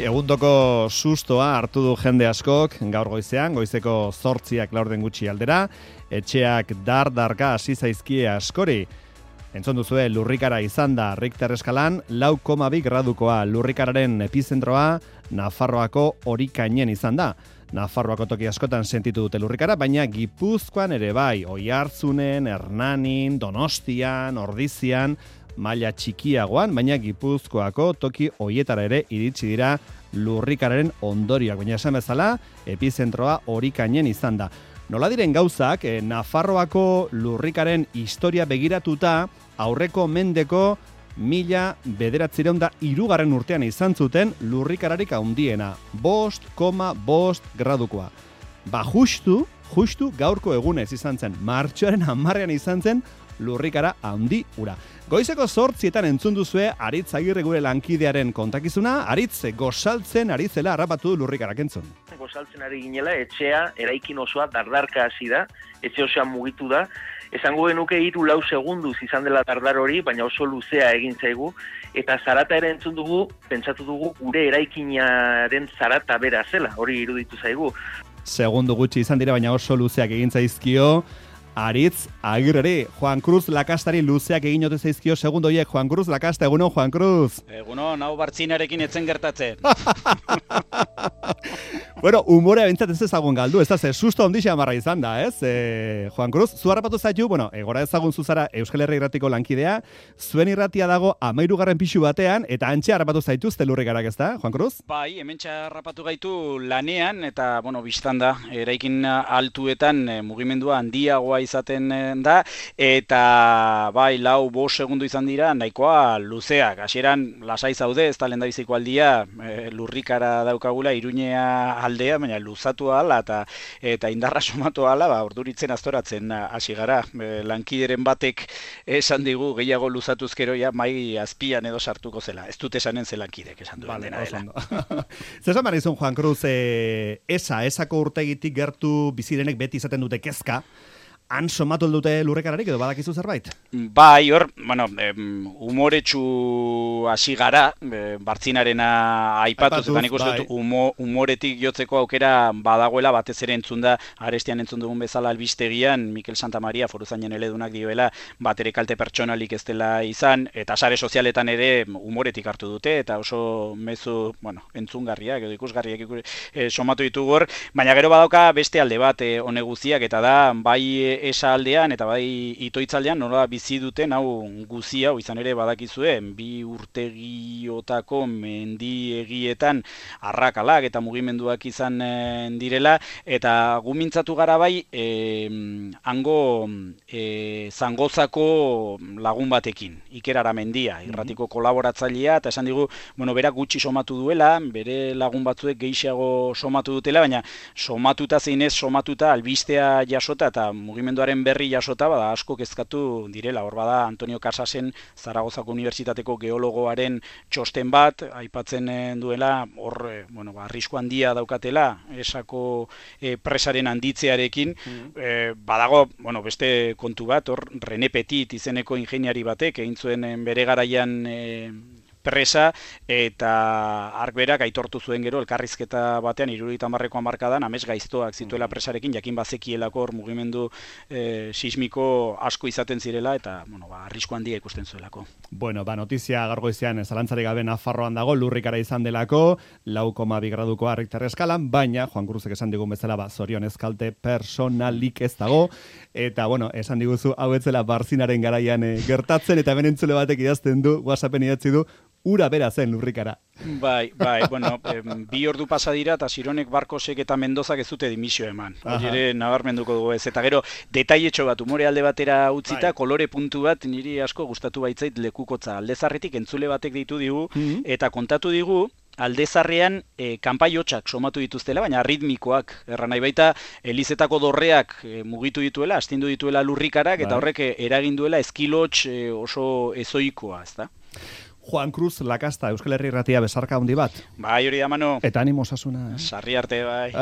Egundoko sustoa hartu du jende askok gaur goizeko 8:00 laurden gutxi aldera, etxeak dardarka hasi zaizkie askori. Entzun duzue, lurrikara izan da Richter eskalan 4,2 gradukoa. Lurrikararen epizentroa Nafarroako Orikainen izan da. Nafarroako toki askotan sentitu dute lurrikara, baina Gipuzkoan ere bai, Oiartzunen, Hernanin, Donostian, Ordizian, maila txikiagoan, baina Gipuzkoako toki hoietara ere iritsi dira lurrikararen ondorioak. Baina esan bezala, epizentroa Orikainen izan da. Nola diren gauzak, Nafarroako lurrikaren historia begiratuta, aurreko mendeko 1903 urtean izan zuten lurrikararik handiena, 5,5 gradukoa. Ba, justu gaurko egunez izan zen, martxoaren 10ean izan zen lurrikara handi ura. Goizeko 8:00 entzun duzue Aritz Agirre gure lankidearen kontakizuna. Aritz, gosaltzen ari zela harrapatu du lurrikarak entzun. Gosaltzen ari ginela, etxea, eraikin osoa dardarka hasi da, etxe osoa mugitu da. Esango genuke 3-4 segunduz izan dela dardar hori, baina oso luzea egin zaigu. Eta zarata ere entzun dugu, pentsatu dugu gure eraikinaren zarata bera zela, hori iruditu zaigu. Segundu gutxi izan dira, baina oso luzeak egin zaizkio Aritz Agirreri. Juan Cruz Lakastari luzeak egin ote zaizkio segundo horiek. Juan Cruz Lakasta, egunon, Juan Cruz. Egunon, hau bartzinarekin etzen gertatzen. Bueno, humorea bintzat ez ezagun galdu, ez da, susto ondixea marra izan da, ez? Juan Cruz, zu harrapatu zaitu, gora ezagun zuzara Euskal Herria irratiko lankidea, zuen irratia dago 13. pisu batean, eta antxe harrapatu zaituzte lurrikarak, ez da, Juan Cruz? Bai, hementxe harrapatu gaitu lanean, eta, biztan da, eraikin altuetan mugimendua handiagoa izaten da, eta, bai, 4-5 segundu izan dira, nahikoa luzeak. Hasieran lasai zaude, ez da lehendabiziko aldia, lurrikara daukagula, Iruñea aldea, baina luzatu ahala eta indarra somatu ahala, orduritzen aztoratzen hasi gara. Lankideren batek esan digu gehiago luzatuzkero ja mai azpian edo sartuko zela. Ez dut esanen ze lankidek esan duen dena dela. Zesan barizun, Juan Cruz, esako urtegitik gertu bizirenek beti izaten dute kezka, han somatu dute lurrikararik edo badakizu zerbait? Bai, hor, umoretsu hasi gara, bartzinarena aipatuz, eta nik uste dut umoretik jotzeko aukera badagoela, batez ere entzun da, arestian entzun dugun bezala albistegian, Mikel Santamaria foruzainen eledunak dioela, bat ere kalte pertsonalik ez dela izan, eta sare sozialetan ere umoretik hartu dute, eta oso mezu, entzungarriak edo ikusgarriak somatu ditugu hor, baina gero badauka beste alde bat hone guztiak, eta da, bai esa aldean eta bai itoitzaldean nola bizi duten hau guzi hau izan ere badakizuen 2 urtegiotako mendiegietan arrakalak eta mugimenduak izan direla eta gumintzatu gara bai hango Zangozako lagun batekin, Iker Aramendia, irratiko kolaboratzailea, eta esan digu, berak gutxi somatu duela, bere lagun batzuek gehiago somatu dutela, baina somatuta zeinez somatuta albistea jasota eta mugimenduaren berri jasota, bada asko kezkatu direla. Hor bada Antonio Casasen Zaragozako Unibertsitateko geologoaren txosten bat, aipatzen duela, hor, arrisku handia daukatela, esako presaren handitzearekin, badago, beste kontu bat, hor, René Petit izeneko ingeniari batek, egin zuen bere garaian presa, eta ark berak aitortu zuen gero elkarrizketa batean 70ko hamarkadan amets gaiztoak zituela presarekin, jakin bazekielako hor mugimendu sismiko asko izaten zirela, eta arrisku handia ikusten zuelako. Notizia gaur goizean zalantzarik gabe Nafarroan dago, lurrikara izan delako, 4,2 gradukoa Richter eskalan, baina Juan Cruzek esan digun bezala, zorionez kalte personalik ez dago, eta esan diguzu hau etzela barzinaren garaian gertatzen, eta hemen entzule batek idazten du, WhatsAppen idatzi du, ura bera zen lurrikara. Bai, 2 ordu pasa dira eta Sironek, Barkosek eta Mendozak ez dute dimisio eman. Hori ere nabarmenduko dugu ez. Eta gero, detailetxo bat, umore alde batera utzita, kolore puntu bat niri asko gustatu baitzait lekukotza. Aldezarretik entzule batek ditu digu, eta kontatu digu, Aldezarrean kanpai hotxak somatu dituztela, baina ritmikoak. Nahi baita, Elizetako dorreak mugitu dituela, astindu dituela lurrikarak, eta horrek eragin duela eskilotx oso ezoikoa, ez da? Juan Cruz Lakasta, Euskal Herria irratia besarka handi bat. Bai, hori da, Manu. Eta animo osasuna. Sarri arte, bai.